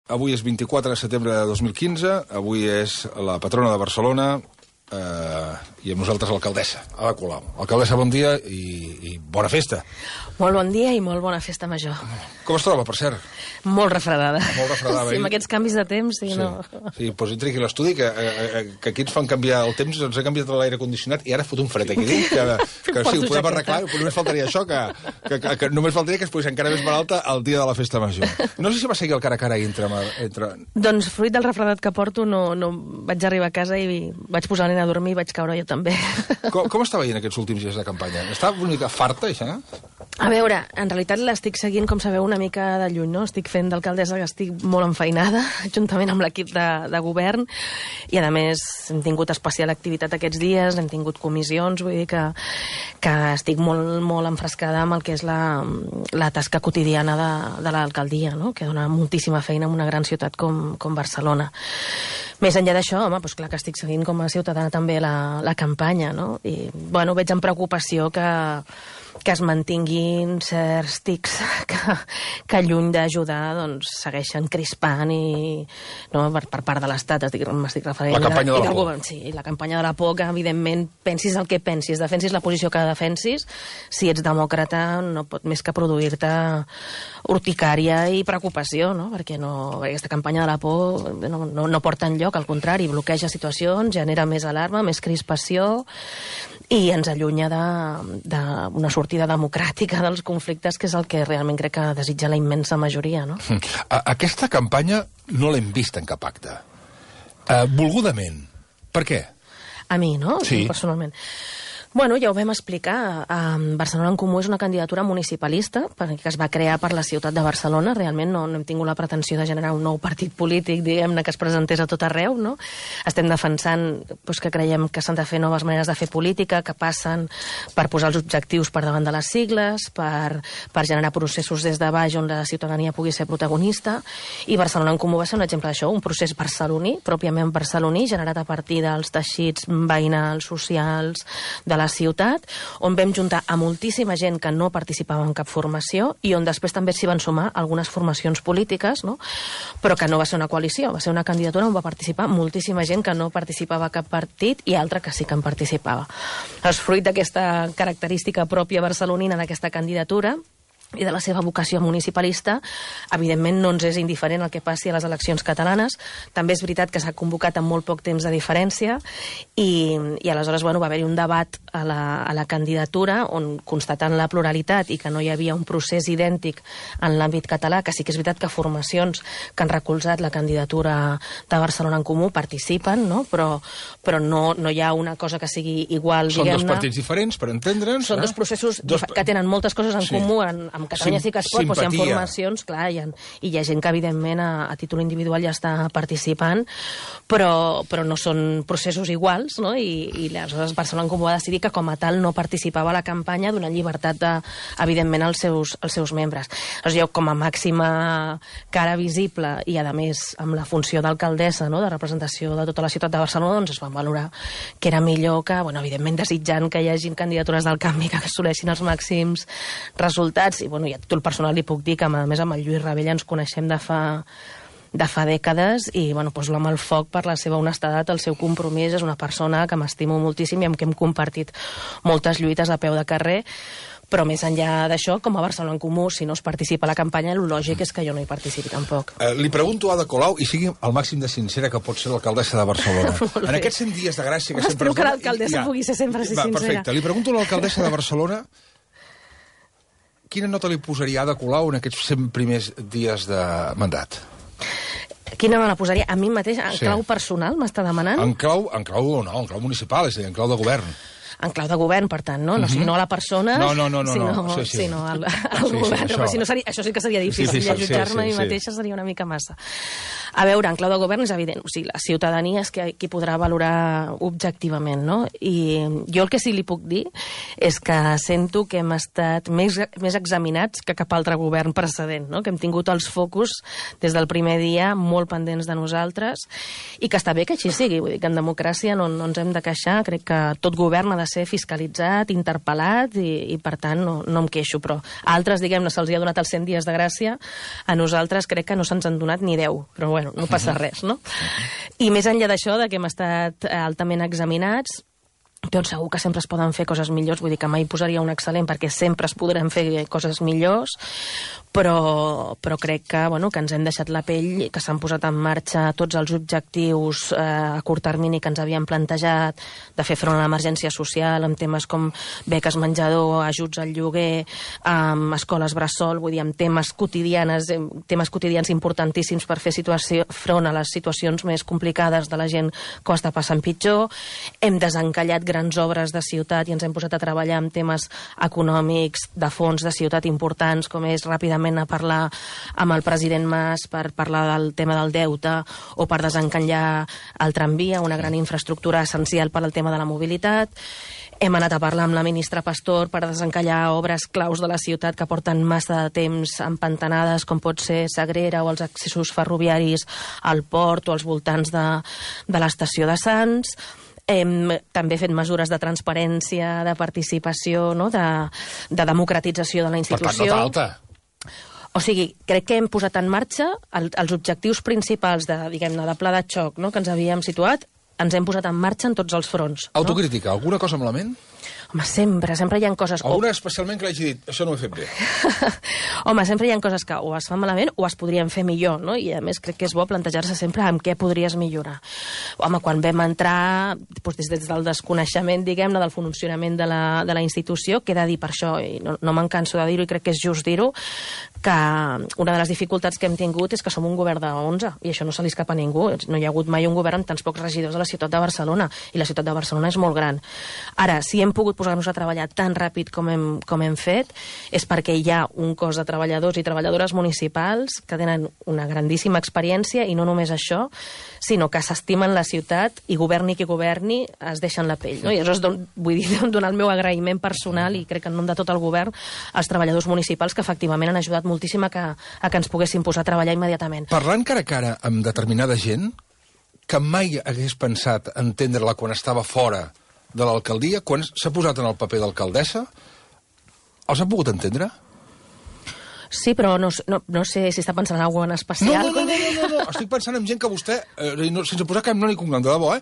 Avui és 24 de setembre de 2015, avui és la patrona de Barcelona i amb nosaltres l'alcaldessa, Ada Colau. Alcaldessa, bon dia i bona festa. Molt bon dia i molt bona festa major. Com es troba, per cert? Molt refredada. Molt refredada. Sí, amb aquests canvis de temps, sí, no. Sí, doncs entri aquí a l'estudi, que aquí ens fan canviar el temps, ens ha canviat l'aire condicionat i ara fot un fred aquí dins, que sí, ho podem arreglar, però només faltaria això, que només faltaria que es posés encara més malalta el dia de la festa major. No sé si va seguir el cara a cara entre... Doncs fruit del refredat que porto, no vaig arribar a casa i vaig posar la nena a dormir i vaig caure jo també. Com està veient aquests últims dies de campanya? Està una mica farta, això? A veure, en realitat l'estic seguint, com sabeu, una mica de lluny, no? Estic fent d'alcaldessa que estic molt enfeinada, juntament amb l'equip de govern, i a més hem tingut especial activitat aquests dies, hem tingut comissions, vull dir que estic molt, molt enfrescada amb el que és la tasca quotidiana de l'alcaldia, no? Que dona moltíssima feina en una gran ciutat com Barcelona. Més enllà d'això, home, doncs clar que estic seguint com a ciutadana també la campanya, no? I, bueno, veig amb preocupació que es mantinguin certs tics que lluny d'ajudar doncs segueixen crispant i no, per part de l'Estat m'estic referint la campanya de la por. Sí, la campanya de la por, que evidentment pensis el que pensis, defensis la posició que defensis, si ets demòcrata no pot més que produir-te urticària i preocupació, no? Perquè aquesta campanya de la por no porta enlloc, al contrari, bloqueja situacions, genera més alarma, més crispació i ens allunya d'una sortida democràtica dels conflictes, que és el que realment crec que desitja la immensa majoria, no? Aquesta campanya no l'hem vist en cap acte. Volgudament. Per què? A mi, no? Sí. Personalment. Bueno, ja ho vam explicar. Barcelona en Comú és una candidatura municipalista que es va crear per la ciutat de Barcelona. Realment no hem tingut la pretensió de generar un nou partit polític, diguem-ne, que es presentés a tot arreu, no? Estem defensant que creiem que s'han de fer noves maneres de fer política, que passen per posar els objectius per davant de les sigles, per generar processos des de baix on la ciutadania pugui ser protagonista, i Barcelona en Comú va ser un exemple d'això, un procés barceloní, pròpiament barceloní, generat a partir dels teixits veïnals, socials, de la ciutat, on vam juntar a moltíssima gent que no participava en cap formació i on després també s'hi van sumar algunes formacions polítiques, no? Però que no va ser una coalició, va ser una candidatura on va participar moltíssima gent que no participava a cap partit i altra que sí que en participava. És fruit d'aquesta característica pròpia barcelonina d'aquesta candidatura i de la seva vocació municipalista, evidentment no ens és indiferent el que passi a les eleccions catalanes. També és veritat que s'ha convocat amb molt poc temps de diferència i aleshores va haver-hi un debat a la candidatura on, constatant la pluralitat i que no hi havia un procés idèntic en l'àmbit català, que sí que és veritat que formacions que han recolzat la candidatura de Barcelona en Comú participen, no? Però no hi ha una cosa que sigui igual, diguem-ne. Són dos partits diferents, per entendre'ns. Són dos processos que tenen moltes coses en comú. Amb Catalunya sí que es pot, però si hi ha formacions, clar, i hi ha gent que evidentment a títol individual ja està participant, però no són processos iguals, no? I aleshores Barcelona en Comú va decidir que com a tal no participava a la campanya, donant llibertat evidentment als seus membres. Llavors jo, com a màxima cara visible i a més amb la funció d'alcaldessa, no? De representació de tota la ciutat de Barcelona, doncs es van valorar que era millor que, bueno, evidentment desitjant que hi hagin candidatures del canvi que assoleixin els màxims resultats. I a títol personal li puc dir que, a més, amb el Lluís Ravella ens coneixem de fa dècades i poso-la amb el foc per la seva honestedat, el seu compromís. És una persona que m'estimo moltíssim i amb qui hem compartit moltes lluites a peu de carrer. Però més enllà d'això, com a Barcelona en Comú, si no es participa a la campanya, el lògic és que jo no hi participi tampoc. Li pregunto a Ada Colau, i sigui el màxim de sincera que pot ser l'alcaldessa de Barcelona. En aquests 100 dies de gràcia que sempre... Espero que l'alcaldessa pugui ser sempre sincera. Perfecte. Li pregunto a l'alcaldessa de Barcelona quina nota li posaria a Ada Colau en aquests 100 primers dies de mandat? Quina me la posaria? A mi mateix, en clau personal, m'està demanant? En clau municipal, és a dir, en clau de govern. En clau de govern, per tant, no? O sigui, no a la persona, sinó al govern. Però si no, això sí que seria difícil. Jutjar-me a mi mateixa seria una mica massa. A veure, en clau de govern és evident, o sigui, la ciutadania és qui podrà valorar objectivament, no? I jo el que sí li puc dir és que sento que hem estat més examinats que cap altre govern precedent, no? Que hem tingut els focus des del primer dia molt pendents de nosaltres i que està bé que així sigui, vull dir que en democràcia no ens hem de queixar, crec que tot govern ha de ser fiscalitzat, interpel·lat i per tant no em queixo, però a altres, diguem-ne, se'ls ha donat els 100 dies de gràcia, a nosaltres crec que no se'ns han donat ni 10, però bueno, no passa res, no? I més enllà d'això, que hem estat altament examinats, doncs segur que sempre es poden fer coses millors, vull dir que mai posaria un excel·lent perquè sempre es podran fer coses millors, però crec que ens hem deixat la pell, que s'han posat en marxa tots els objectius a curt termini que ens havíem plantejat de fer front a l'emergència social amb temes com beques menjador, ajuts al lloguer, escoles bressol, vull dir, amb temes quotidians importantíssims per fer front a les situacions més complicades de la gent que ho està passant pitjor. Hem desencallat grans obres de ciutat i ens hem posat a treballar amb temes econòmics de fons de ciutat importants, com és ràpidament a parlar amb el president Mas per parlar del tema del deute o per desencallar el tramvia, una gran infraestructura essencial per al tema de la mobilitat. Hem anat a parlar amb la ministra Pastor per desencallar obres claus de la ciutat que porten massa de temps empantanades, com pot ser Sagrera o els accessos ferroviaris al port o als voltants de l'estació de Sants. Hem també fet mesures de transparència, de participació, no? de democratització de la institució. Per tant, no falta. O sigui, crec que hem posat en marxa els objectius principals de pla de xoc, no? Que ens havíem situat, ens hem posat en marxa en tots els fronts. Autocrítica, alguna cosa malament? Home, sempre hi ha coses... Alguna especialment que l'hagi dit, això no ho he fet bé. Home, sempre hi ha coses que o es fan malament o es podrien fer millor, no? I a més crec que és bo plantejar-se sempre amb què podries millorar. Home, quan vam entrar, des del desconeixement, diguem-ne, del funcionament de la institució, queda dir per això, i no me'n canso de dir-ho i crec que és just dir-ho, que una de les dificultats que hem tingut és que som un govern de 11, i això no se li escapa a ningú. No hi ha hagut mai un govern amb tants pocs regidors a la ciutat de Barcelona, i la ciutat de Barcelona és molt gran. Ara, si hem pogut posar-nos a treballar tan ràpid com hem fet, és perquè hi ha un cos de treballadors i treballadores municipals que tenen una grandíssima experiència, i no només això, sinó que s'estimen la ciutat i governi qui governi, es deixen la pell. No? I aleshores vull dir, donar el meu agraïment personal, i crec que en nom de tot el govern, als treballadors municipals que efectivament han ajudat moltíssim a que ens poguéssim posar a treballar immediatament. Parlant cara a cara amb determinada gent que mai hagués pensat entendre-la quan estava fora de l'alcaldia, quan s'ha posat en el paper d'alcaldessa, els ha pogut entendre? Sí, però no sé si està pensant en alguna cosa en especial. No. Estic pensant en gent que vostè, sense posar cap nom ni cognom, de debò,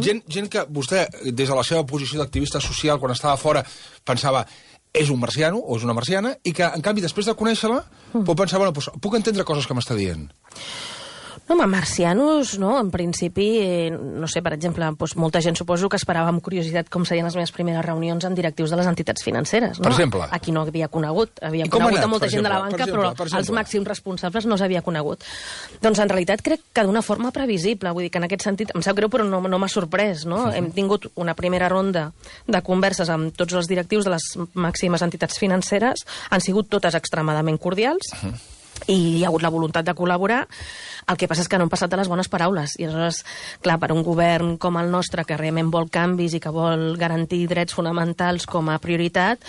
gent que vostè, des de la seva posició d'activista social, quan estava fora, pensava és un marciano o és una marciana, i que, en canvi, després de conèixer-la, pot pensar, bueno, doncs, puc entendre coses que m'està dient. No, home, marcianos, no? En principi, no sé, per exemple, doncs molta gent suposo que esperava amb curiositat com serien les meves primeres reunions amb directius de les entitats financeres, no? Per exemple? Aquí no havia conegut. Havia conegut a molta gent de la banca, però els màxims responsables no s'havia conegut. Doncs en realitat crec que d'una forma previsible, vull dir que en aquest sentit, em sap greu, però no m'ha sorprès, no? Hem tingut una primera ronda de converses amb tots els directius de les màximes entitats financeres, han sigut totes extremadament cordials, i hi ha hagut la voluntat de col·laborar. El que passa és que no han passat de les bones paraules, i aleshores, clar, per un govern com el nostre, que realment vol canvis i que vol garantir drets fonamentals com a prioritat,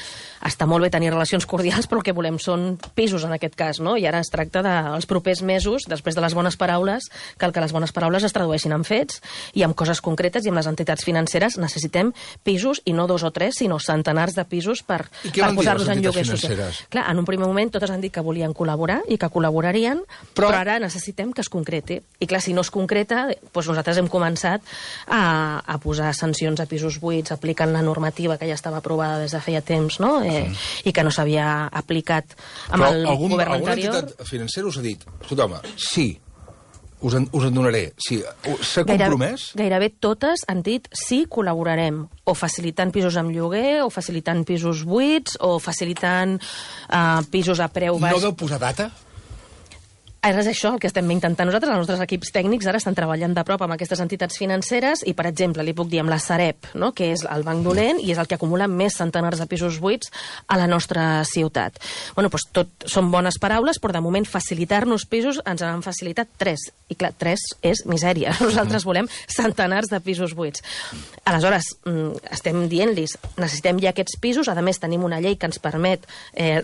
està molt bé tenir relacions cordials, però el que volem són pisos en aquest cas, no? I ara es tracta dels propers mesos, després de les bones paraules, que les bones paraules es tradueixin en fets i en coses concretes, i amb les entitats financeres necessitem pisos, i no 2 o 3, sinó centenars de pisos per posar-los en lloguer social. Clar, en un primer moment totes han dit que volien col·laborar i que col·laborarien, però ara necessitem que es concreti. I clar, si no es concreta, doncs nosaltres hem començat a posar sancions a pisos buits, aplicant la normativa que ja estava aprovada des de feia temps, no? I que no s'havia aplicat amb el govern anterior. Alguna entitat financera us ha dit, escolta, sí, us en donaré. Sí, s'ha compromès? Gairebé totes han dit sí, col·laborarem, o facilitant pisos amb lloguer, o facilitant pisos buits, o facilitant pisos a preu baix. No deu posar data? Ara és això el que estem intentant nosaltres. Els nostres equips tècnics ara estan treballant de prop amb aquestes entitats financeres i, per exemple, li puc dir amb la Sareb, no? Que és el banc dolent i és el que acumula més centenars de pisos buits a la nostra ciutat. Bueno, doncs tot són bones paraules, però de moment facilitar-nos pisos ens han facilitat 3. I clar, 3 és misèria. Nosaltres volem centenars de pisos buits. Aleshores, estem dient-los, necessitem ja aquests pisos, a més tenim una llei que ens permet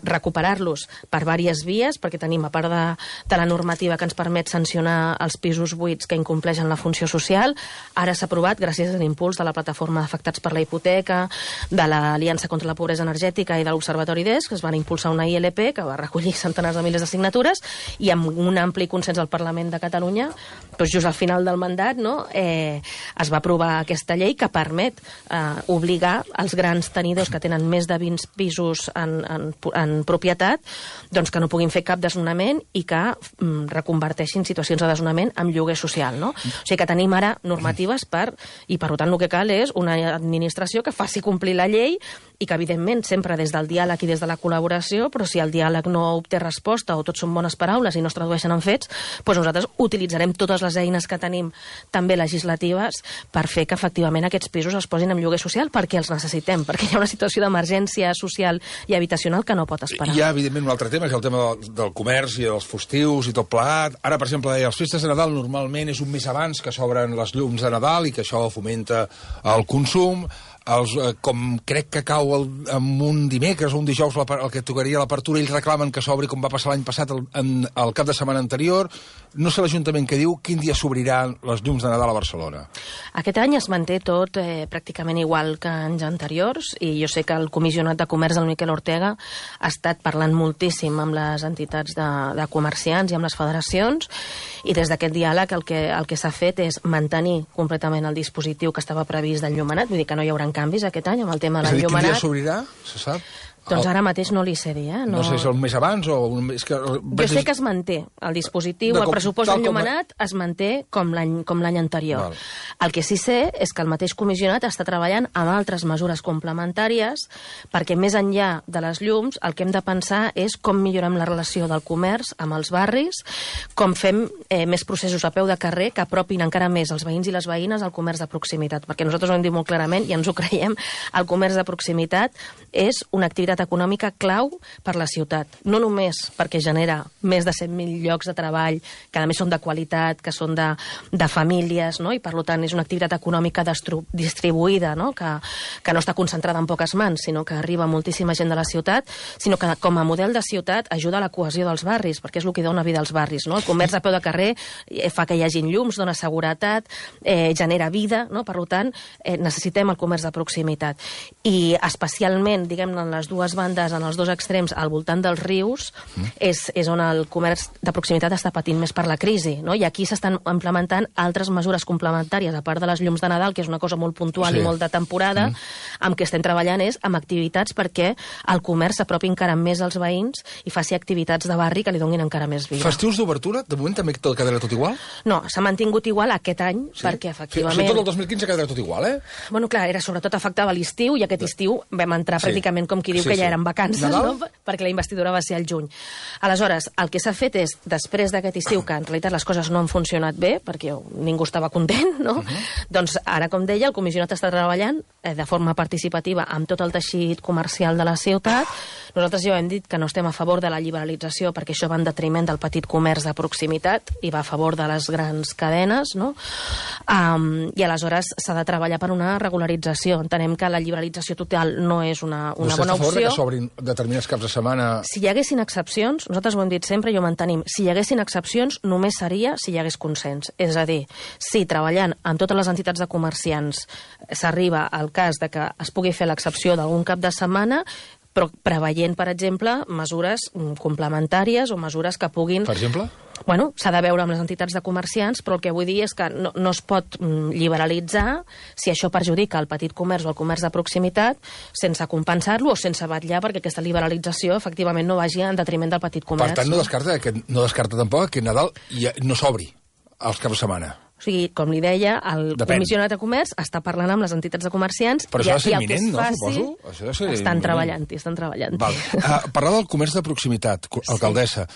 recuperar-los per diverses vies, perquè tenim, a part de la normativa que ens permet sancionar els pisos buits que incompleixen la funció social. Ara s'ha aprovat, gràcies a l'impuls de la plataforma d'afectats per la hipoteca, de l'Aliança contra la Pobresa Energètica i de l'Observatori d'ES, que es van impulsar una ILP que va recollir centenars de milers de signatures i amb un ampli consens al Parlament de Catalunya, doncs just al final del mandat, no, es va aprovar aquesta llei que permet obligar els grans tenidors que tenen més de 20 pisos en propietat, doncs que no puguin fer cap desnonament i que reconverteixin situacions de desnonament en lloguer social, no? O sigui que tenim ara normatives i per tant el que cal és una administració que faci complir la llei i que, evidentment, sempre des del diàleg i des de la col·laboració, però si el diàleg no obté resposta o tot són bones paraules i no es tradueixen en fets, doncs nosaltres utilitzarem totes les eines que tenim, també legislatives, per fer que, efectivament, aquests pisos es posin en lloguer social perquè els necessitem, perquè hi ha una situació d'emergència social i habitacional que no pot esperar. Hi ha, evidentment, un altre tema, que és el tema del comerç i dels fustius i tot plegat. Ara, per exemple, les festes de Nadal normalment és un mes abans que s'obren les llums de Nadal i que això fomenta el consum. Com crec que cau en un dimecres o un dijous el que tocaria l'apertura, ells reclamen que s'obri com va passar l'any passat el cap de setmana anterior. No sé l'Ajuntament què diu, quin dia s'obriran les llums de Nadal a Barcelona? Aquest any es manté tot pràcticament igual que anys anteriors i jo sé que el comissionat de comerç, el Miquel Ortega, ha estat parlant moltíssim amb les entitats de comerciants i amb les federacions i des d'aquest diàleg el que s'ha fet és mantenir completament el dispositiu que estava previst d'enllumenat, vull dir que no hi haurà canvis aquest any amb el tema de l'enllumenat. És a dir, quin dia s'obrirà, se sap? Doncs ara mateix no li sé dir, No sé si és un mes abans o un mes que... Jo sé que es manté el dispositiu, el pressupost d'enllumenat es manté com l'any anterior. El que sí sé és que el mateix comissionat està treballant amb altres mesures complementàries perquè més enllà de les llums el que hem de pensar és com millorem la relació del comerç amb els barris, com fem més processos a peu de carrer que apropin encara més els veïns i les veïnes al comerç de proximitat, perquè nosaltres ho hem dit molt clarament i ens ho creiem, el comerç de proximitat és una activitat econòmica clau per la ciutat. No només perquè genera més de 100.000 llocs de treball, que a més són de qualitat, que són de famílies, no? I per tant és una activitat econòmica distribuïda, no? Que no està concentrada en poques mans, sinó que arriba moltíssima gent de la ciutat, sinó que com a model de ciutat ajuda a la cohesió dels barris, perquè és el que dona vida als barris, no? El comerç a peu de carrer fa que hi hagin llums, dona seguretat, genera vida, no? Per tant, necessitem el comerç de proximitat. I especialment, diguem-ne, en les dues bandes, en els dos extrems, al voltant dels rius, és on el comerç de proximitat està patint més per la crisi, no? I aquí s'estan implementant altres mesures complementàries, a part de les llums de Nadal, que és una cosa molt puntual i molt de temporada, amb què estem treballant és amb activitats perquè el comerç s'apropi encara més als veïns i faci activitats de barri que li donin encara més vida. Festius d'obertura? De moment també quedarà tot igual? No, s'ha mantingut igual aquest any, perquè efectivament... Tot el 2015 quedarà tot igual, Bueno, clar, sobretot afectava l'estiu i aquest estiu vam entrar pràcticament com qui diu que ja eren vacances, no? Perquè la investidura va ser al juny. Aleshores, el que s'ha fet és, després d'aquest estiu, que en realitat les coses no han funcionat bé, perquè ningú estava content, no? Doncs ara, com deia, el comissionat està treballant de forma participativa amb tot el teixit comercial de la ciutat. Nosaltres ja hem dit que no estem a favor de la liberalització perquè això va en detriment del petit comerç de proximitat i va a favor de les grans cadenes, no? I aleshores s'ha de treballar per una regularització. Entenem que la liberalització total no és una bona opció. Vostè està a favor que s'obrin determinats caps de setmana? Si hi haguessin excepcions, nosaltres ho hem dit sempre i ho mantenim, si hi haguessin excepcions només seria si hi hagués consens. És a dir, si treballant amb totes les entitats de comerciants s'arriba al cas de que es pugui fer l'excepció d'algun cap de setmana, però preveient, per exemple, mesures complementàries o mesures que puguin... Per exemple? Bueno, s'ha de veure amb les entitats de comerciants, però el que vull dir és que no es pot liberalitzar si això perjudica el petit comerç o el comerç de proximitat sense compensar-lo o sense vetllar perquè aquesta liberalització efectivament no vagi en detriment del petit comerç. Per tant, no descarta tampoc que Nadal no s'obri als caps de setmana. O sigui, com li deia, el comissionat de comerç està parlant amb les entitats de comerciants... Però això ha de ser imminent, no, suposo? Estan treballant-hi. Parlar del comerç de proximitat, alcaldessa.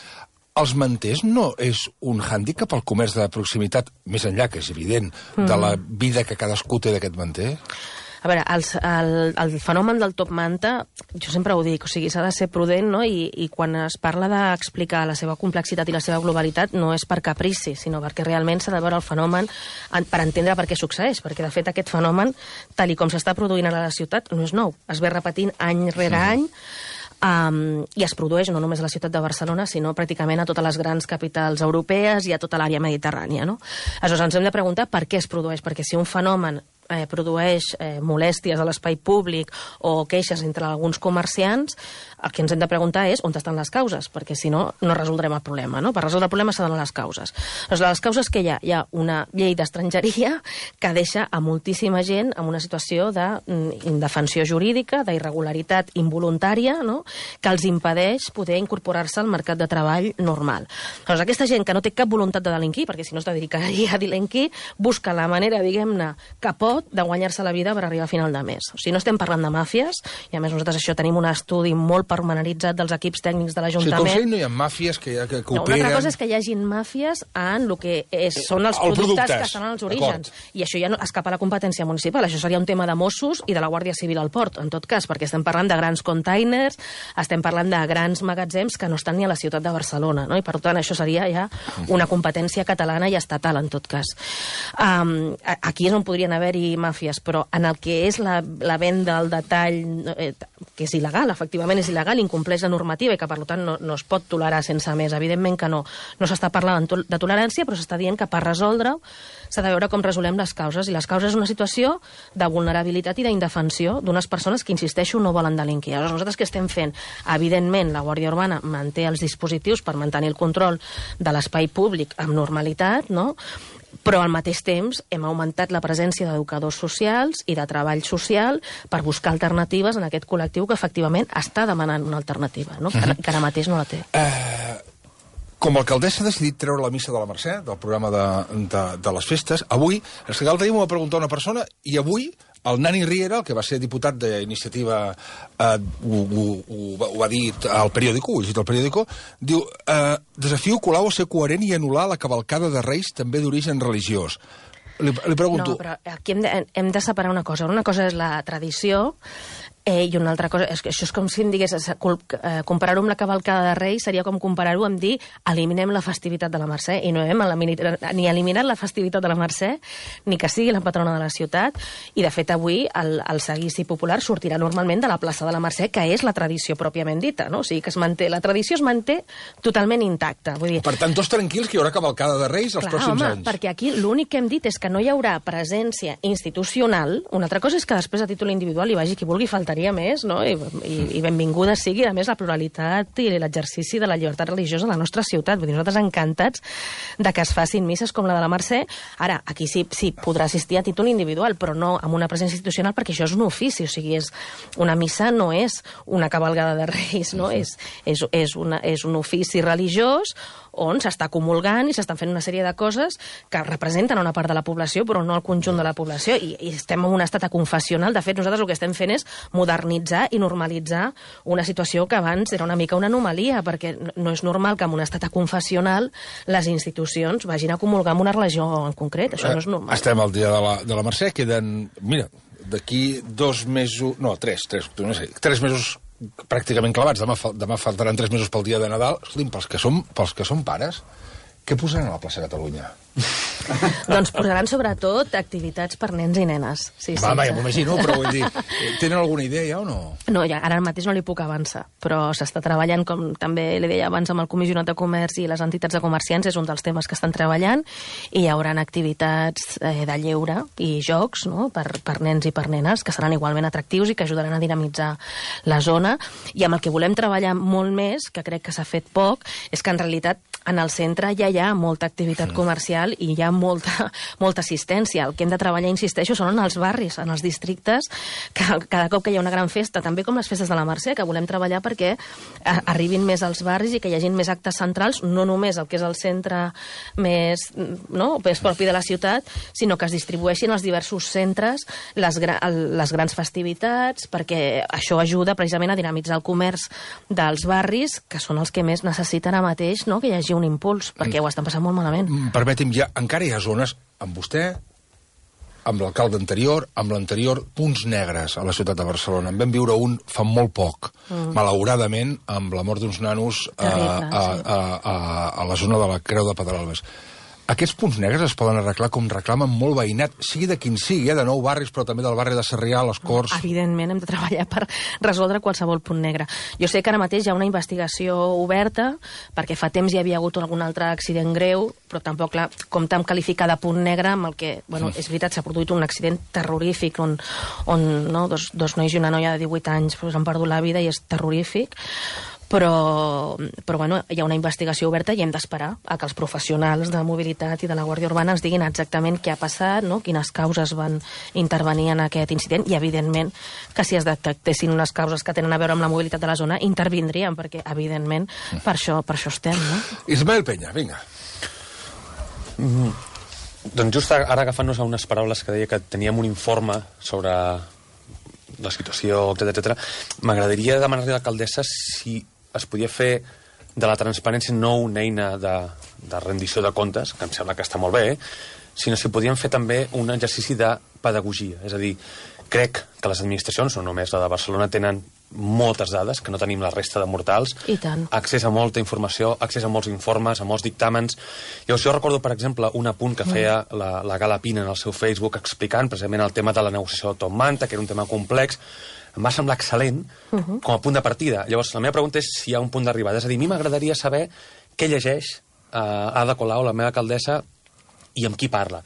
Els manters no és un hàndicap al comerç de proximitat, més enllà, que és evident, de la vida que cadascú té d'aquest manter? A veure, el fenomen del top manta, jo sempre ho dic, o sigui, s'ha de ser prudent, no? I quan es parla d'explicar la seva complexitat i la seva globalitat no és per caprici, sinó perquè realment s'ha de veure el fenomen per entendre per què succeeix, perquè de fet aquest fenomen, tal i com s'està produint a la ciutat, no és nou, es ve repetint any rere any, i es produeix no només a la ciutat de Barcelona, sinó pràcticament a totes les grans capitals europees i a tota l'àrea mediterrània, no? Aleshores, ens hem de preguntar per què es produeix, perquè si un fenomen produeix molèsties a l'espai públic o queixes entre alguns comerciants, el que ens hem de preguntar és on estan les causes, perquè si no, no resoldrem el problema, no? Per resoldre el problema s'ha de donar les causes. Doncs les causes que hi ha? Hi ha una llei d'estrangeria que deixa a moltíssima gent en una situació d'indefensió jurídica, d'irregularitat involuntària, no? Que els impedeix poder incorporar-se al mercat de treball normal. Doncs aquesta gent que no té cap voluntat de delinquir, perquè si no es dedicaria a delinquir, busca la manera, diguem-ne, que pot de guanyar-se la vida per arribar a final de mes. O sigui, no estem parlant de màfies, i a més nosaltres això tenim un estudi molt pormenoritzat dels equips tècnics de l'Ajuntament. O sigui, com si no hi ha màfies que operen... No, una altra cosa és que hi hagin màfies en el que són els productes que estan als orígens. I això ja no escapa a la competència municipal. Això seria un tema de Mossos i de la Guàrdia Civil al port, en tot cas, perquè estem parlant de grans containers, estem parlant de grans magatzems que no estan ni a la ciutat de Barcelona, no? I per tant això seria ja una competència catalana i estatal, en tot cas. Aquí és on podrien haver-hi màfies, però en el que és la venda al detall, que és il·legal, efectivament és il·legal, incompleix la normativa i que per tant no es pot tolerar sense més. Evidentment que no s'està parlant de tolerància, però s'està dient que per resoldre-ho s'ha de veure com resolem les causes, i les causes és una situació de vulnerabilitat i d'indefensió d'unes persones que, insisteixo, no volen delinquir. Aleshores, nosaltres què estem fent? Evidentment, la Guàrdia Urbana manté els dispositius per mantenir el control de l'espai públic amb normalitat, no? Però al mateix temps hem augmentat la presència d'educadors socials i de treball social per buscar alternatives en aquest col·lectiu que efectivament està demanant una alternativa, no? Que ara mateix no la té. Com a alcaldessa ha decidit treure la missa de la Mercè del programa de les festes, avui, l'altre dia m'ho va preguntar una persona, i avui el Nani Riera, el que va ser diputat d'Iniciativa, ho va dir al periòdico, ho he llegit al periòdico, diu, desafio Colau a ser coherent i anul·lar la cavalcada de Reis també d'origen religiós. Li pregunto... No, però aquí hem de separar una cosa. Una cosa és la tradició, i una altra cosa, això és com si em digués, comparar-ho amb la cavalcada de Reis seria com comparar-ho amb dir eliminem la festivitat de la Mercè, i no hem ni eliminat la festivitat de la Mercè, ni que sigui la patrona de la ciutat, i de fet avui el seguici popular sortirà normalment de la plaça de la Mercè, que és la tradició pròpiament dita, no? O sigui que la tradició es manté totalment intacta. Vull dir... Per tant, tots tranquils que hi haurà cavalcada de Reis els pròxims anys. Perquè aquí l'únic que hem dit és que no hi haurà presència institucional. Una altra cosa és que després a títol individual hi vagi qui vulgui, faltaria més, no? I benvinguda sigui, a més, la pluralitat i l'exercici de la llibertat religiosa a la nostra ciutat. Vull dir, nosaltres encantats de que es facin misses com la de la Mercè. Ara, aquí sí podrà assistir a títol individual, però no amb una presència institucional, perquè això és un ofici, o sigui, una missa no és una cavalgada de Reis, no? És un ofici religiós on s'està comulgant i s'estan fent una sèrie de coses que representen una part de la població, però no el conjunt de la població, i estem en un estat confessional. De fet, nosaltres el que estem fent és modernitzar i normalitzar una situació que abans era una mica una anomalia, perquè no és normal que en un estat confessional les institucions vagin a comulgar amb una religió en concret. Això no és normal. Estem al dia de la Mercè, queden, mira, d'aquí 2 mesos, no, 3 mesos pràcticament clavats. Demà faltaran 3 mesos pel dia de Nadal. Escolti'm, pels que som pares, què posaran a la plaça Catalunya? Doncs posaran sobretot activitats per nens i nenes. Sí, ja m'ho imagino, però vull dir, tenen alguna idea ja o no? No, ja, ara mateix no li puc avançar, però s'està treballant, com també li deia abans, amb el Comissionat de Comerç i les entitats de comerciants, és un dels temes que estan treballant, i hi haurà activitats de lleure i jocs, no?, per nens i per nenes, que seran igualment atractius i que ajudaran a dinamitzar la zona. I amb el que volem treballar molt més, que crec que s'ha fet poc, és que en realitat en el centre ja hi ha molta activitat comercial i hi ha molta assistència. El que hem de treballar, insisteixo, són en els barris, en els districtes, que cada cop que hi ha una gran festa, també com les festes de la Mercè, que volem treballar perquè arribin més als barris i que hi hagi més actes centrals, no només el que és el centre més propi de la ciutat, sinó que es distribueixin als diversos centres les grans festivitats, perquè això ajuda precisament a dinamitzar el comerç dels barris, que són els que més necessiten ara mateix, no?, que hi hagi un impuls, perquè ho estan passant molt malament. Permeti'm, encara hi ha zones, amb vostè, amb l'alcalde anterior, amb l'anterior, punts negres a la ciutat de Barcelona. En vam viure un fa molt poc, malauradament, amb la mort d'uns nanos a la zona de la Creu de Pedralbes. Aquests punts negres es poden arreglar com reclamen molt veïnat, sigui de quin sigui, de Nou Barris, però també del barri de Sarrià, les Corts... Evidentment, hem de treballar per resoldre qualsevol punt negre. Jo sé que ara mateix hi ha una investigació oberta, perquè fa temps hi havia hagut algun altre accident greu, però tampoc, clar, com tant qualificar de punt negre amb el que, és veritat, s'ha produït un accident terrorífic on dos nois i una noia de 18 anys han perdut la vida i és terrorífic, però hi ha una investigació oberta i hem d'esperar a que els professionals de mobilitat i de la Guàrdia Urbana ens diguin exactament què ha passat, quines causes van intervenir en aquest incident, i evidentment que si es detectessin unes causes que tenen a veure amb la mobilitat de la zona, intervindríem, perquè evidentment per això estem, no? Ismael Peña, vinga. Doncs just ara agafant-nos a unes paraules que deia que teníem un informe sobre la situació, etc. M'agradaria demanar-li a l'alcaldessa si es podia fer de la transparència no una eina de rendició de comptes, que em sembla que està molt bé, sinó si podíem fer també un exercici de pedagogia. És a dir, crec que les administracions, no només la de Barcelona, tenen moltes dades que no tenim la resta de mortals. I tant. Accés a molta informació, accés a molts informes, a molts dictàmens. Llavors jo recordo, per exemple, un apunt que feia la Gala Pina en el seu Facebook explicant precisament el tema de la negociació de Top Manta, que era un tema complex. Em va semblar excel·lent com a punt de partida. Llavors, la meva pregunta és si hi ha un punt d'arribada. És a dir, a mi m'agradaria saber què llegeix Ada Colau, la meva alcaldessa, i amb qui parla.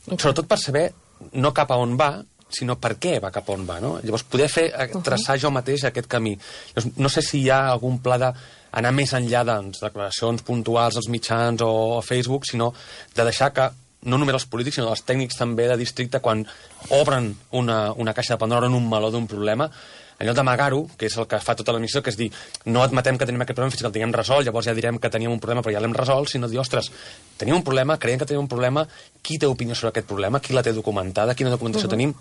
Sobretot per saber no cap a on va, sinó per què va cap on va, no? Llavors, poder traçar jo mateix aquest camí. Llavors, no sé si hi ha algun pla d'anar més enllà de declaracions puntuals als mitjans o a Facebook, sinó de deixar que no només els polítics, sinó els tècnics també de districte, quan obren una caixa de Pandora en un meló d'un problema, en lloc d'amagar-ho, que és el que fa tota l'administració, que és dir, no admetem que tenim aquest problema fins que el tinguem resolt, llavors ja direm que teníem un problema però ja l'hem resolt, sinó dir, ostres, tenim un problema, creiem que tenim un problema, qui té opinió sobre aquest problema, qui la té documentada, quina documentació tenim,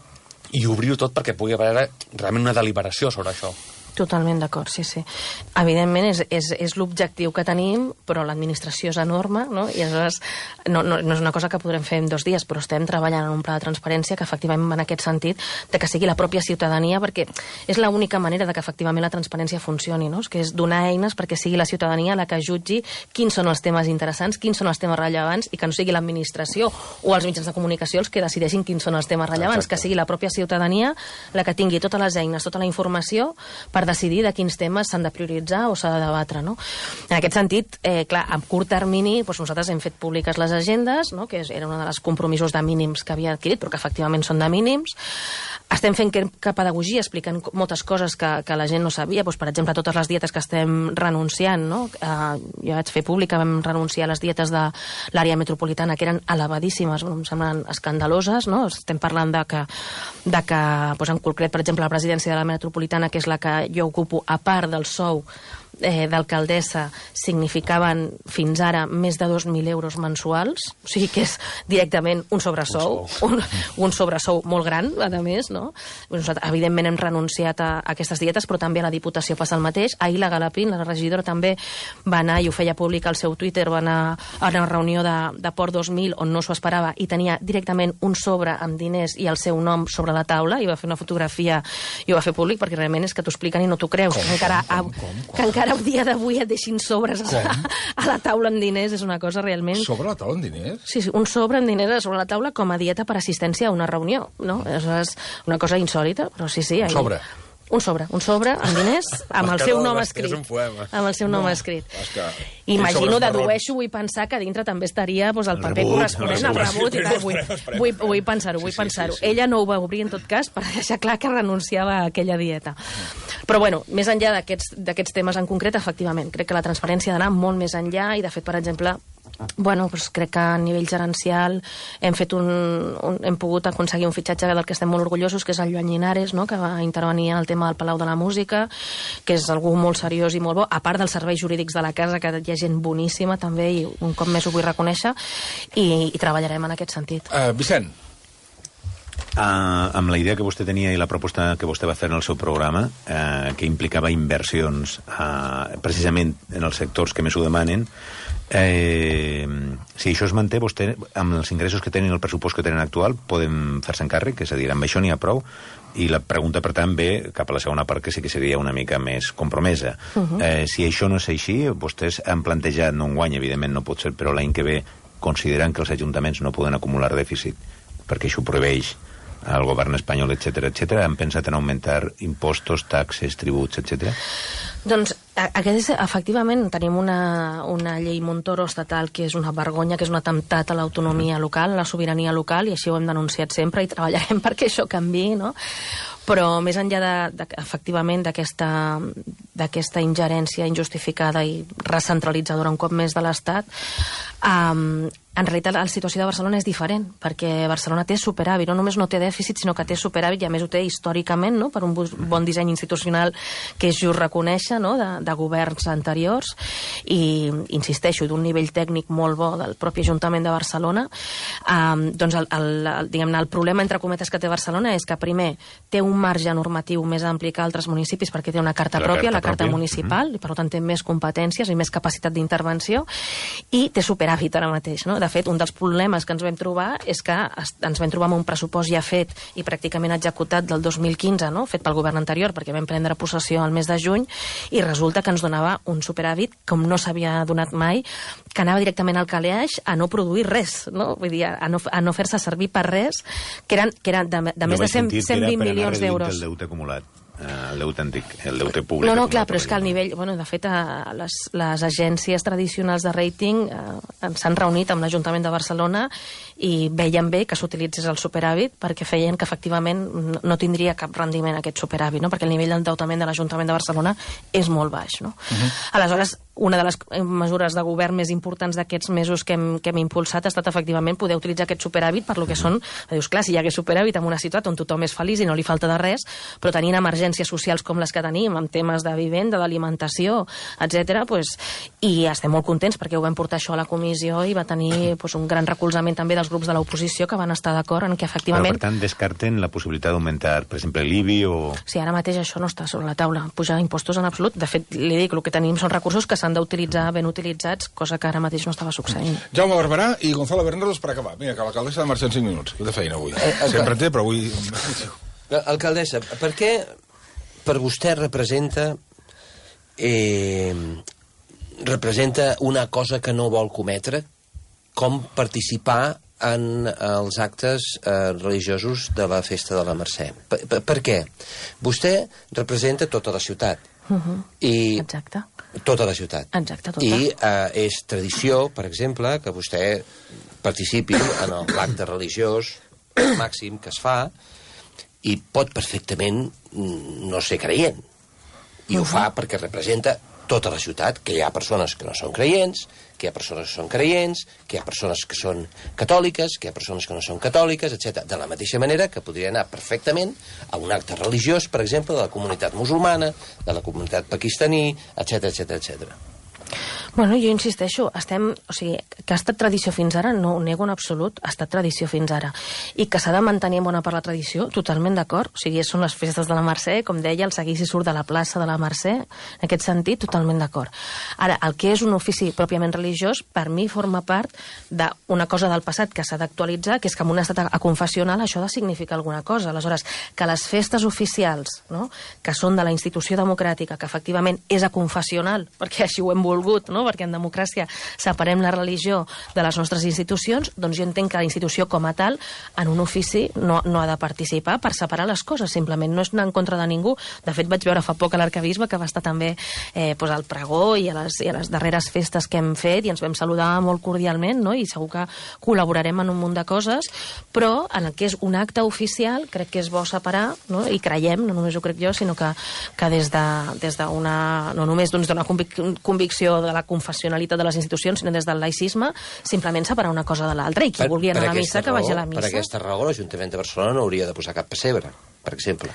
i obrir-ho tot perquè pugui haver realment una deliberació sobre això. Totalment d'acord, sí. Evidentment és l'objectiu que tenim, però l'administració és enorme, no? I aleshores no és una cosa que podrem fer en 2 dies, però estem treballant en un pla de transparència que efectivament va en aquest sentit, de que sigui la pròpia ciutadania, perquè és l'única manera de que efectivament la transparència funcioni, no? Que és donar eines perquè sigui la ciutadania la que jutgi quins són els temes interessants, quins són els temes rellevants, i que no sigui l'administració o els mitjans de comunicació els que decideixin quins són els temes rellevants. Exacte. Que sigui la pròpia ciutadania la que tingui totes les eines, tota la informació per decidir de quins temes s'han de prioritzar o s'ha de debatre, no? En aquest sentit, clar, a curt termini, nosaltres hem fet públiques les agendes, no?, que era una de les compromisos de mínims que havia adquirit, però que efectivament són de mínims. Estem fent pedagogia, explicant moltes coses que la gent no sabia, per exemple, totes les dietes que estem renunciant, no? Jo vaig fer públic que vam renunciar a les dietes de l'àrea metropolitana, que eren elevadíssimes, em semblen escandaloses, no? Estem parlant de que en concret, per exemple, la presidència de la metropolitana, que és la que jo ocupo, a part del sou d'alcaldessa, significaven fins ara més de 2.000 euros mensuals, o sigui que és directament un sobresou, un sobresou molt gran, a més, no? Nosaltres, evidentment, hem renunciat a aquestes dietes, però també a la Diputació passa el mateix. Ahir la Galapín, la regidora, també va anar, i ho feia públic al seu Twitter, va anar a una reunió de Port 2000, on no s'ho esperava, i tenia directament un sobre amb diners i el seu nom sobre la taula, i va fer una fotografia i ho va fer públic, perquè realment és que t'ho expliquen i no t'ho creus. Que encara el dia d'avui et deixin sobres a la taula amb diners, és una cosa realment... Sobre la taula amb diners? Sí, un sobre amb diners sobre la taula com a dieta per assistència a una reunió, no? És una cosa insòlita, però sí. Un sobre amb diners, amb el seu nom escrit. Amb el seu nom escrit. Imagino, dedueixo, vull pensar que dintre també estaria el paper corresponent al rebut i tal. Vull pensar-ho. Ella no ho va obrir, en tot cas, per deixar clar que renunciava a aquella dieta. Però, bueno, més enllà d'aquests temes en concret, efectivament, crec que la transparència ha d'anar molt més enllà i, de fet, per exemple, Bueno, doncs crec que a nivell gerencial hem pogut aconseguir un fitxatge del que estem molt orgullosos, que és el Joan Llinares, no?, que va intervenir en el tema del Palau de la Música, que és algú molt seriós i molt bo, a part dels serveis jurídics de la casa, que hi ha gent boníssima també, i un cop més ho vull reconèixer, i treballarem en aquest sentit. Vicent. Amb la idea que vostè tenia i la proposta que vostè va fer en el seu programa, que implicava inversions precisament en els sectors que més ho demanen, si això es manté, vostè, amb els ingressos que tenen, el pressupost que tenen actual, poden fer-se encàrrec, és a dir, amb això n'hi ha prou, i la pregunta, per tant, ve cap a la segona part, que sí que seria una mica més compromesa. Si això no és així, vostès han plantejat, no enguany, evidentment no pot ser, però l'any que ve, considerant que els ajuntaments no poden acumular dèficit, perquè això ho prohibeix el govern espanyol, etc., han pensat en augmentar impostos, taxes, tributs, etc.? Doncs, efectivament, tenim una llei Montoro estatal que és una vergonya, que és un atemptat a l'autonomia local, a la sobirania local, i així ho hem denunciat sempre i treballarem perquè això canviï, no? Però més enllà efectivament d'aquesta ingerència injustificada i recentralitzadora un cop més de l'Estat, en realitat la situació de Barcelona és diferent, perquè Barcelona té superàvit, no només no té dèficit, sinó que té superàvit, i a més ho té històricament, no?, per un bon disseny institucional que és just reconèixer, no?, de governs anteriors, i insisteixo, d'un nivell tècnic molt bo del propi Ajuntament de Barcelona. Doncs diguem-ne, el problema entre cometes que té Barcelona és que primer té un marge normatiu més ampli que altres municipis perquè té una carta pròpia, la carta municipal, i per tant té més competències i més capacitat d'intervenció, i té superàvit ara mateix, no? De fet, un dels problemes que ens vam trobar és que ens vam trobar amb un pressupost ja fet i pràcticament executat del 2015, no?, fet pel govern anterior, perquè vam prendre possessió al mes de juny, i resulta que ens donava un superàvit com no s'havia donat mai, que anava directament al calaix a no produir res, no? Vull dir, a no fer-se servir per res, que eren de més de 120 milions d'euros. El deute acumulat. El deute antic, el deute públic. No, clar, però és que al nivell... Bueno, de fet, les agències tradicionals de rating s'han reunit amb l'Ajuntament de Barcelona i veien bé que s'utilitzés el superàvit perquè feien que efectivament no tindria cap rendiment aquest superàvit, no?, perquè el nivell d'endeutament de l'Ajuntament de Barcelona és molt baix, no? Aleshores, una de les mesures de govern més importants d'aquests mesos que hem impulsat ha estat efectivament poder utilitzar aquest superàvit per lo que són... Dius, clar, si hi hagués superàvit en una ciutat on tothom és feliç i no li falta de res, però tenint emergències socials com les que tenim, amb temes de vivenda, d'alimentació, etc., i estem molt contents perquè ho vam portar això a la comissió i va tenir un gran recolzament també dels grups de l'oposició que van estar d'acord en que efectivament... Però, per tant, descarten la possibilitat d'augmentar, per exemple, l'IBI o... Sí, ara mateix això no està sobre la taula, pujar impostos en absolut. De fet, li dic, el que tenim són recursos que s'han d'utilitzar ben utilitzats, cosa que ara mateix no estava succeint. Jaume Barberà i Gonzalo Berneros per acabar. Vinga, que l'alcaldessa ha de marxar en 5 minuts. Que de feina avui. Sempre té, però avui... Alcaldessa, per què per vostè representa una cosa que no vol cometre, com participar en els actes religiosos de la festa de la Mercè? Per què? Vostè representa tota la ciutat. Exacte. Tota la ciutat. Exacte, tota. I és tradició, per exemple, que vostè participi en l'acte religiós màxim que es fa i pot perfectament no ser creient. I ho fa perquè representa tota la ciutat, que hi ha persones que no són creients, que hi ha persones que són creients, que hi ha persones que són catòliques, que hi ha persones que no són catòliques, etc. De la mateixa manera que podria anar perfectament a un acte religiós, per exemple, de la comunitat musulmana, de la comunitat pakistaní, etc, etc, etc. Bueno, jo insisteixo, o sigui, que ha estat tradició fins ara, no ho nego en absolut, ha estat tradició fins ara. I que s'ha de mantenir bona part la tradició, totalment d'acord. O sigui, són les festes de la Mercè, com deia, el seguici surt de la plaça de la Mercè, en aquest sentit, totalment d'acord. Ara, el que és un ofici pròpiament religiós, per mi forma part d'una cosa del passat que s'ha d'actualitzar, que és que en un estat aconfessional això ha de significar alguna cosa. Aleshores, que les festes oficials, no?, que són de la institució democràtica, que efectivament és aconfessional, perquè així ho hem volgut, no?, perquè en democràcia separem la religió de les nostres institucions, doncs jo entenc que la institució com a tal en un ofici no ha de participar per separar les coses, simplement no és anar en contra de ningú. De fet, vaig veure fa poc a l'Arquebisbe que va estar també al pregó i a les darreres festes que hem fet i ens vam saludar molt cordialment, no?, i segur que col·laborarem en un munt de coses, però en el que és un acte oficial crec que és bo separar, no?, i creiem, no només ho crec jo, sinó que des d'una no només d'una convicció de la confessionalitat de les institucions, sinó des del laïcisme, simplement separar una cosa de l'altra, i qui vulgui anar a la missa, que vagi a la missa. Per aquesta raó, l'Ajuntament de Barcelona no hauria de posar cap pessebre, per exemple.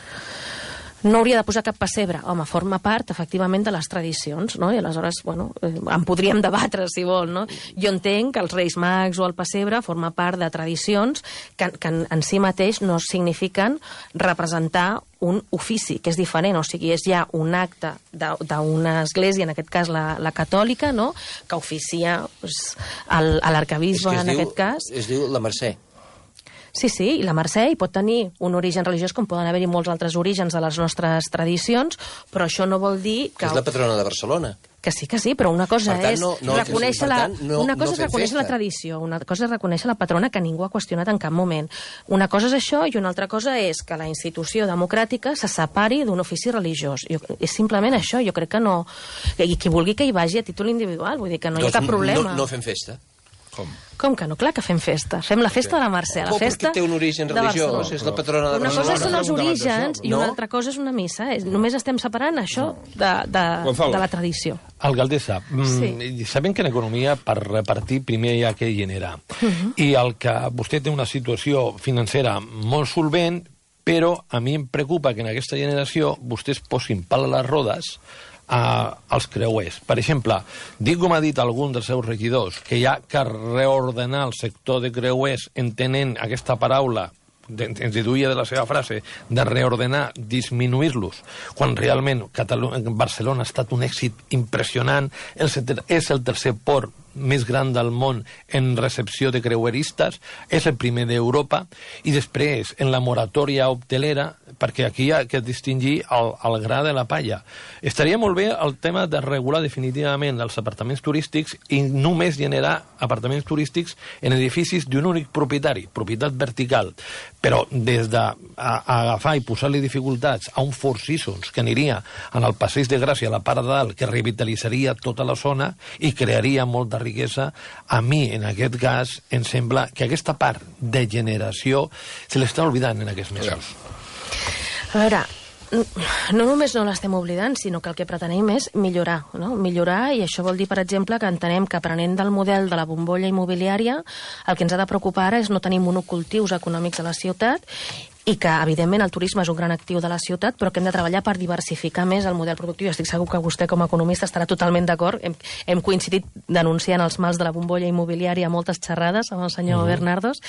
No hauria de posar cap pessebre. Home, forma part, efectivament, de les tradicions, no? I aleshores, bueno, en podríem debatre, si vol, no? Jo entenc que els Reis Mags o el pessebre forma part de tradicions que en si mateix no signifiquen representar un ofici, que és diferent, o sigui, és ja un acte d'una església, en aquest cas la catòlica, no?, que oficia a l'arquebisbe, en aquest cas. Es diu la Mercè. Sí, i la Mercè hi pot tenir un origen religiós, com poden haver-hi molts altres orígens de les nostres tradicions, però això no vol dir que... És la patrona de Barcelona. Que sí, però una cosa és reconèixer la tradició, una cosa és reconèixer la patrona, que ningú ha qüestionat en cap moment. Una cosa és això, i una altra cosa és que la institució democràtica se separi d'un ofici religiós. És simplement això, jo crec que no... I qui vulgui que hi vagi a títol individual, vull dir que no hi ha cap problema. No fem festa. Com que no? Clar que fem festa. Fem la festa de la Mercè, la festa té un origen religiós, és la patrona de Barcelona. Una cosa són els orígens i una altra cosa és una missa. Només estem separant això de la tradició. Alcaldessa, sabem que en economia per repartir primer hi ha que generar. I el que vostè té una situació financera molt solvent, però a mi em preocupa que en aquesta generació vostès posin pal a les rodes als creuers. Per exemple, dic com ha dit algun dels seus regidors, que hi ha que reordenar el sector de creuers entenent aquesta paraula, ens deduïa de la seva frase, de reordenar, disminuir-los, quan realment Barcelona ha estat un èxit impressionant, és el tercer port més gran del món en recepció de creueristes, és el primer d'Europa, i després, en la moratòria hotelera, perquè aquí hi ha que distingir el gra de la palla. Estaria molt bé el tema de regular definitivament els apartaments turístics i només generar apartaments turístics en edificis d'un únic propietari, propietat vertical, però des d'agafar i posar-li dificultats a un Four Seasons que aniria en el Passeig de Gràcia, a la part de dalt, que revitalitzaria tota la zona i crearia molta riquesa, a mi, en aquest cas, em sembla que aquesta part de generació se l'està oblidant en aquests mesos. A veure, no només no l'estem oblidant, sinó que el que pretenem és millorar, no? Millorar, i això vol dir, per exemple, que entenem que aprenent del model de la bombolla immobiliària, el que ens ha de preocupar ara és no tenir monocultius econòmics a la ciutat, i que, evidentment, el turisme és un gran actiu de la ciutat, però que hem de treballar per diversificar més el model productiu. Estic segur que vostè, com a economista, estarà totalment d'acord. Hem coincidit denunciant els mals de la bombolla immobiliària a moltes xerrades amb el senyor Bernardos,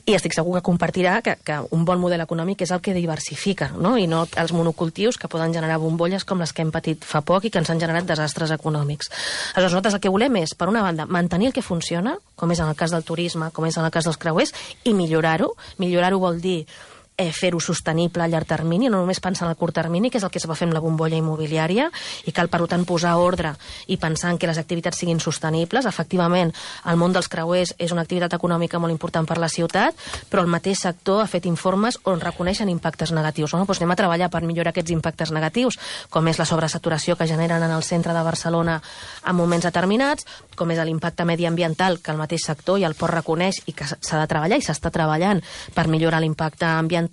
i estic segur que compartirà que un bon model econòmic és el que diversifica, no? I no els monocultius que poden generar bombolles com les que hem patit fa poc i que ens han generat desastres econòmics. Aleshores, nosaltres el que volem és, per una banda, mantenir el que funciona, com és en el cas del turisme, com és en el cas dels creuers, i millorar-ho. Millorar-ho vol dir fer-ho sostenible a llarg termini, no només pensar en el curt termini, que és el que es va fer amb la bombolla immobiliària, i cal, per tant, posar ordre i pensar en que les activitats siguin sostenibles. Efectivament, el món dels creuers és una activitat econòmica molt important per la ciutat, però el mateix sector ha fet informes on reconeixen impactes negatius. Doncs anem a treballar per millorar aquests impactes negatius, com és la sobresaturació que generen en el centre de Barcelona en moments determinats, com és l'impacte mediambiental que el mateix sector i el port reconeix i que s'ha de treballar i s'està treballant per millorar l'impacte ambiental,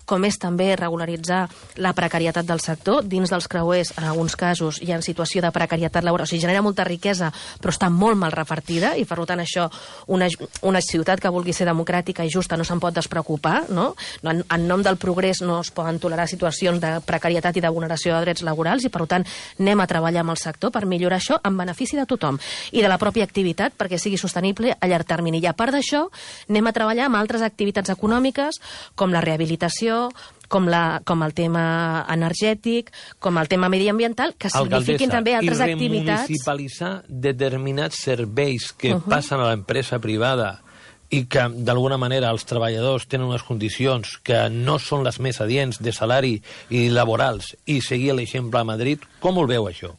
com és també regularitzar la precarietat del sector. Dins dels creuers, en alguns casos, hi ha situació de precarietat laboral, o sigui, genera molta riquesa, però està molt mal repartida, i per tant això, una ciutat que vulgui ser democràtica i justa no se'n pot despreocupar, no? En nom del progrés no es poden tolerar situacions de precarietat i de vulneració de drets laborals, i per tant anem a treballar amb el sector per millorar això en benefici de tothom i de la pròpia activitat perquè sigui sostenible a llarg termini. I a part d'això, anem a treballar amb altres activitats econòmiques com la rehabilitació, com el tema energètic, com el tema mediambiental, que signifiquin també altres activitats. I remunicipalitzar determinats serveis que passen a l'empresa privada i que, d'alguna manera, els treballadors tenen unes condicions que no són les més adients de salari i laborals, i seguir l'exemple a Madrid, com ho veu, això?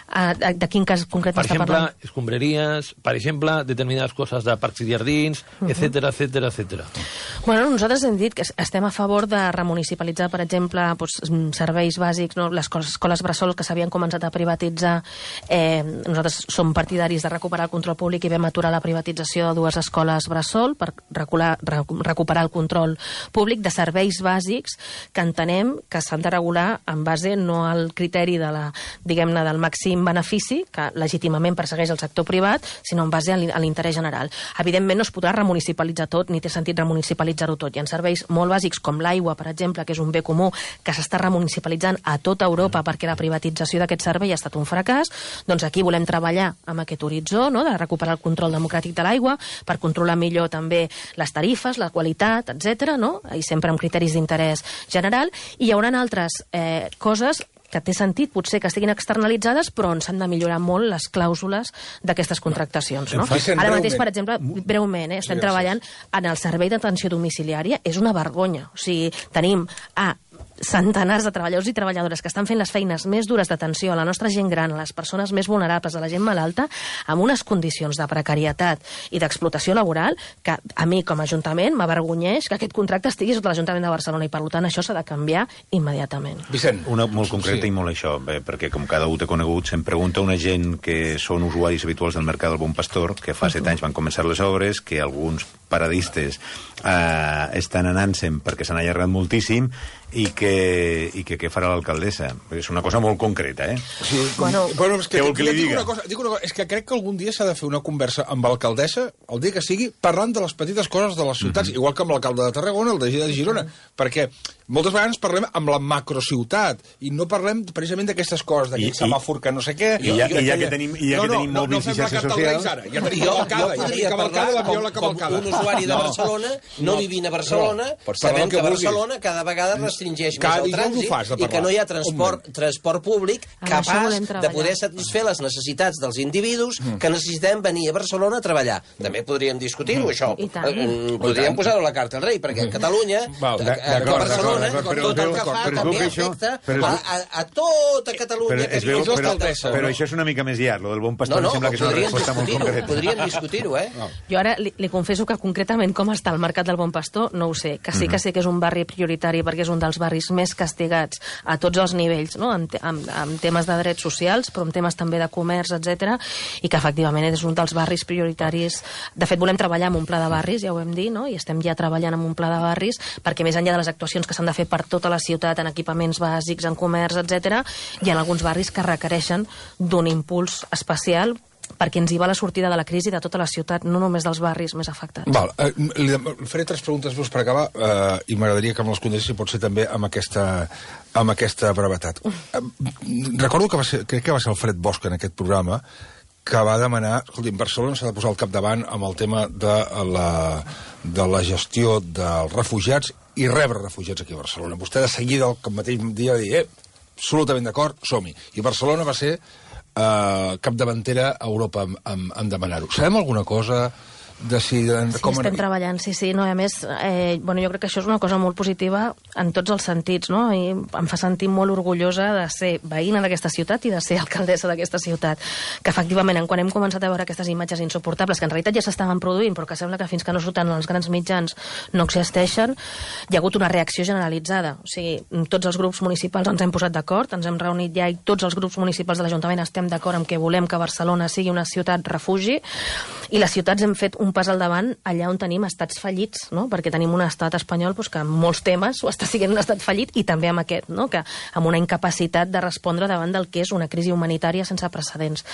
De quin cas concret està parlant? Per exemple, escombraries, per exemple, determinades coses de parcs i jardins, etcètera, etcètera, etcètera. Bueno, nosaltres hem dit que estem a favor de remunicipalitzar, per exemple, serveis bàsics, no? Les escoles bressol que s'havien començat a privatitzar. Nosaltres som partidaris de recuperar el control públic i vam aturar la privatització de 2 escoles bressol per recuperar el control públic de serveis bàsics que entenem que s'han de regular en base no al criteri de diguem-ne, del màxim benefici que legítimament persegueix el sector privat, sinó en base a l'interès general. Evidentment no es podrà remunicipalitzar tot, ni té sentit remunicipalitzar-ho tot. Hi ha serveis molt bàsics com l'aigua, per exemple, que és un bé comú que s'està remunicipalitzant a tota Europa perquè la privatització d'aquest servei ha estat un fracàs. Doncs aquí volem treballar amb aquest horitzó, no?, de recuperar el control democràtic de l'aigua per controlar millor també les tarifes, la qualitat, etc., no? I sempre amb criteris d'interès general. I hi haurà altres coses que té sentit, potser que estiguin externalitzades, però on s'han de millorar molt les clàusules d'aquestes contractacions. No? Ara mateix, per exemple, breument, estem treballant en el servei d'atenció domiciliària. És una vergonya. O sigui, tenim centenars de treballadors i treballadores que estan fent les feines més dures d'atenció a la nostra gent gran, a les persones més vulnerables, a la gent malalta, amb unes condicions de precarietat i d'explotació laboral que a mi, com a Ajuntament, m'avergonyeix que aquest contracte estigui sota l'Ajuntament de Barcelona i, per tant, això s'ha de canviar immediatament. Vicent. Una molt concreta i molt això, perquè com cada un té conegut, se'm pregunta una gent que són usuaris habituals del Mercat del Bon Pastor, que fa 7 anys van començar les obres, que alguns paradistes estan anant-se'n perquè s'han allargat moltíssim i que què farà l'alcaldessa? És una cosa molt concreta, Sí, bueno, és que, què vol que li diga? Dic una cosa, és que crec que algun dia s'ha de fer una conversa amb l'alcaldessa, el dia que sigui, parlant de les petites coses de les ciutats, igual que amb l'alcalde de Tarragona, el de Girona, perquè moltes vegades parlem amb la macrociutat i no parlem precisament d'aquestes coses, d'aquell semàfor que no sé què... I ja que tenim mòbils i xarxes socials... Ja tenim cavalcada, la viola cavalcada. Un usuari de Barcelona, no vivint a Barcelona, sabem que Barcelona cada vegada restringeix més el trànsit i que no hi ha transport públic capaç de poder satisfer les necessitats dels individus que necessitem venir a Barcelona a treballar. També podríem discutir-ho, això. Podríem posar-ho a la carta al rei, perquè a Catalunya, a Barcelona, tot el que fa també afecta a tota Catalunya. Però això és una mica més llarg, lo del Bon Pastor, em sembla que és una resposta molt concreta. Podríem discutir-ho, Jo ara li confesso que concretament com està el Mercat del Bon Pastor no ho sé, que sí que sé que és un barri prioritari perquè és un dels barris més castigats a tots els nivells, no? en temes de drets socials, però en temes també de comerç, etc, i que efectivament és un dels barris prioritaris. De fet, volem treballar amb un pla de barris, ja ho hem dit, no? I estem ja treballant amb un pla de barris perquè més enllà de les actuacions que s'han de fer per tota la ciutat en equipaments bàsics, en comerç, etc, hi ha alguns barris que requereixen d'un impuls especial perquè ens hi va la sortida de la crisi de tota la ciutat, no només dels barris més afectats. Val, li faré 3 preguntes per acabar i m'agradaria que me les contestés, si pot ser també amb aquesta brevetat. Recordo que crec que va ser Alfred Bosch en aquest programa que va demanar, escolti, Barcelona s'ha de posar al capdavant amb el tema de la gestió dels refugiats i rebre refugiats aquí a Barcelona. Vostè de seguida, el mateix dia, va dir, absolutament d'acord, som-hi. I Barcelona va ser capdavantera a Europa en demanar-ho. Sabem alguna cosa de si... estem treballant, sí. No, a més, jo crec que això és una cosa molt positiva en tots els sentits, no? I em fa sentir molt orgullosa de ser veïna d'aquesta ciutat i de ser alcaldessa d'aquesta ciutat. Que efectivament, quan hem començat a veure aquestes imatges insuportables, que en realitat ja s'estaven produint, però que sembla que fins que no surten els grans mitjans no existeixen, hi ha hagut una reacció generalitzada. O sigui, tots els grups municipals ens hem posat d'acord, ens hem reunit ja i tots els grups municipals de l'Ajuntament estem d'acord en que volem que Barcelona sigui una ciutat refugi, i les ciutats hem fet un pas al davant allà on tenim estats fallits, no? Perquè tenim un estat espanyol que en molts temes ho està sent un estat fallit, i també amb aquest, no? Que amb una incapacitat de respondre davant del que és una crisi humanitària sense precedents.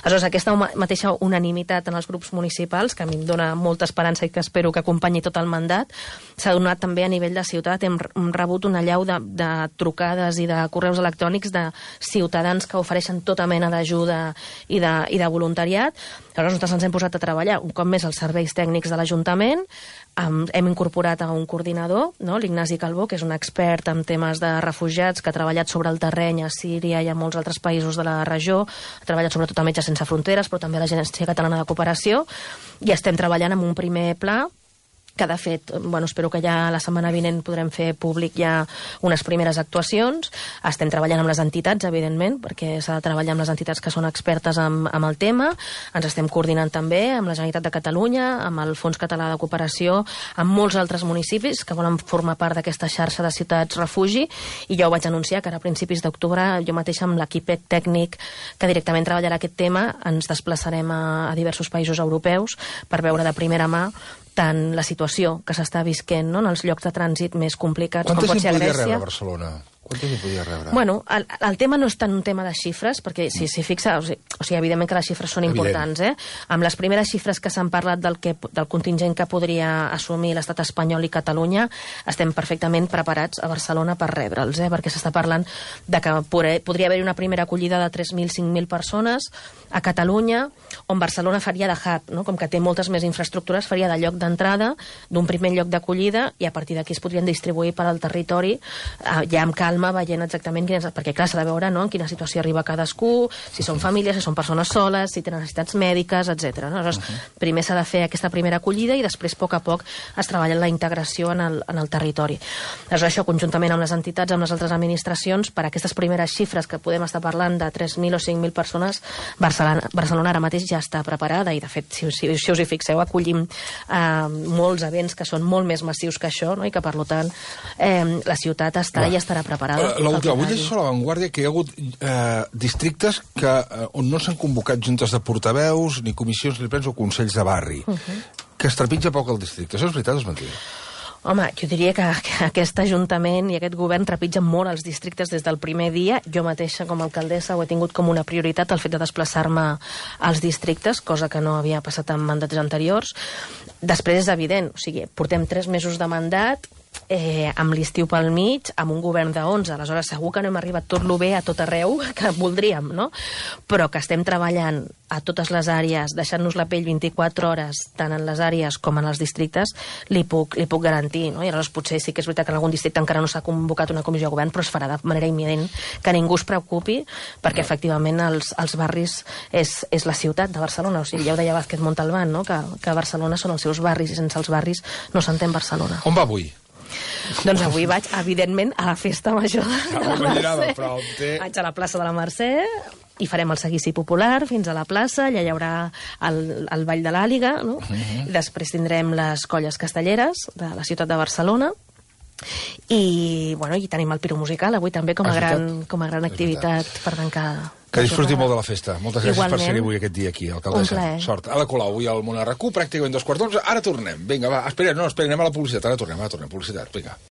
Aleshores, aquesta mateixa unanimitat en els grups municipals, que a mi em dona molta esperança i que espero que acompanyi tot el mandat, s'ha donat també a nivell de ciutat. Hem rebut una allau de trucades i de correus electrònics de ciutadans que ofereixen tota mena d'ajuda i de voluntariat. Aleshores, nosaltres ens hem posat a treballar un cop més els serveis tècnics de l'Ajuntament. Hem incorporat a un coordinador, no? L'Ignasi Calbó, que és un expert en temes de refugiats, que ha treballat sobre el terreny a Síria i a molts altres països de la regió, ha treballat sobretot a Metges Sense Fronteres, però també a l'Agència Catalana de Cooperació, i estem treballant amb un primer pla que de fet, bueno, espero que ja la setmana vinent podrem fer públic ja unes primeres actuacions. Estem treballant amb les entitats, evidentment, perquè s'ha de treballar amb les entitats que són expertes amb el tema. Ens estem coordinant també amb la Generalitat de Catalunya, amb el Fons Català de Cooperació, amb molts altres municipis que volen formar part d'aquesta xarxa de ciutats refugi, i ja ho vaig anunciar, que ara a principis d'octubre jo mateixa amb l'equip tècnic que directament treballarà aquest tema ens desplaçarem a diversos països europeus per veure de primera mà tant la situació que s'està visquent, no?, en els llocs de trànsit més complicats, com pot ser a Grècia. Quanta gent podria rebre a Barcelona? Quanta gent podria rebre? Bueno, el tema no és tant un tema de xifres, perquè si s'hi fixa, o sigui, evidentment que les xifres són importants, Amb les primeres xifres que s'han parlat del contingent que podria assumir l'estat espanyol i Catalunya, estem perfectament preparats a Barcelona per rebre'ls, perquè s'està parlant de que podria haver-hi una primera acollida de 3.000, 5.000 persones a Catalunya, on Barcelona faria de hub, no? Com que té moltes més infraestructures, faria de lloc d'entrada, d'un primer lloc d'acollida, i a partir d'aquí es podrien distribuir per al territori, ja amb calma, veient exactament perquè clar, s'ha de veure, no?, en quina situació arriba cadascú, si són famílies, si són persones soles, si tenen necessitats mèdiques, etc. Aleshores, primer s'ha de fer aquesta primera acollida i després, a poc a poc, es treballa la integració en el territori. Aleshores, això, conjuntament amb les entitats, amb les altres administracions, per aquestes primeres xifres que podem estar parlant de 3.000 o 5.000 persones, Barcelona ara mateix ja està preparada, i de fet, si us hi fixeu, acollim molts events que són molt més massius que això, no?, i que, per tant, la ciutat està i estarà preparada. L'última, vull llegir a La Vanguardia que hi ha hagut districtes on no s'han convocat juntes de portaveus, ni comissions, ni plens o consells de barri, que es trepitja poc el districte. Això és veritat o és mentida? Home, jo diria que aquest Ajuntament i aquest govern trepitgen molt els districtes des del primer dia. Jo mateixa, com a alcaldessa, ho he tingut com una prioritat, el fet de desplaçar-me als districtes, cosa que no havia passat en mandats anteriors. Després és evident, o sigui, portem 3 mesos de mandat, amb l'estiu pel mig, amb un govern de 11, aleshores segur que no hem arribat tot lo bé a tot arreu que voldríem, no? Però que estem treballant a totes les àrees, deixant-nos la pell 24 hores, tant en les àrees com en els districtes, li puc garantir, no? I aleshores potser sí que és veritat que en algun districte encara no s'ha convocat una comissió de govern, però es farà de manera imminent, que ningú es preocupi, perquè efectivament els barris és la ciutat de Barcelona, o sigui, ja ho deia Vázquez Montalbán, no?, que Barcelona són els seus barris, i sense els barris no s'entén Barcelona. On va avui? Doncs avui vaig, evidentment, a la festa major de la Mercè. Vaig a la plaça de la Mercè i farem el seguici popular fins a la plaça, allà hi haurà el ball de l'Àliga, no? I després tindrem les colles castelleres de la ciutat de Barcelona, i tenim el Piro Musical avui també com a gran activitat per tancar. Que disfruti molt de la festa. Moltes gràcies per ser avui aquest dia aquí, alcaldessa. Un plaer. Sort. Ada Colau, avui al Món RQ, pràcticament 2:15. Ara tornem. Vinga, va, espera, anem a la publicitat. Ara tornem, publicitat. Vinga.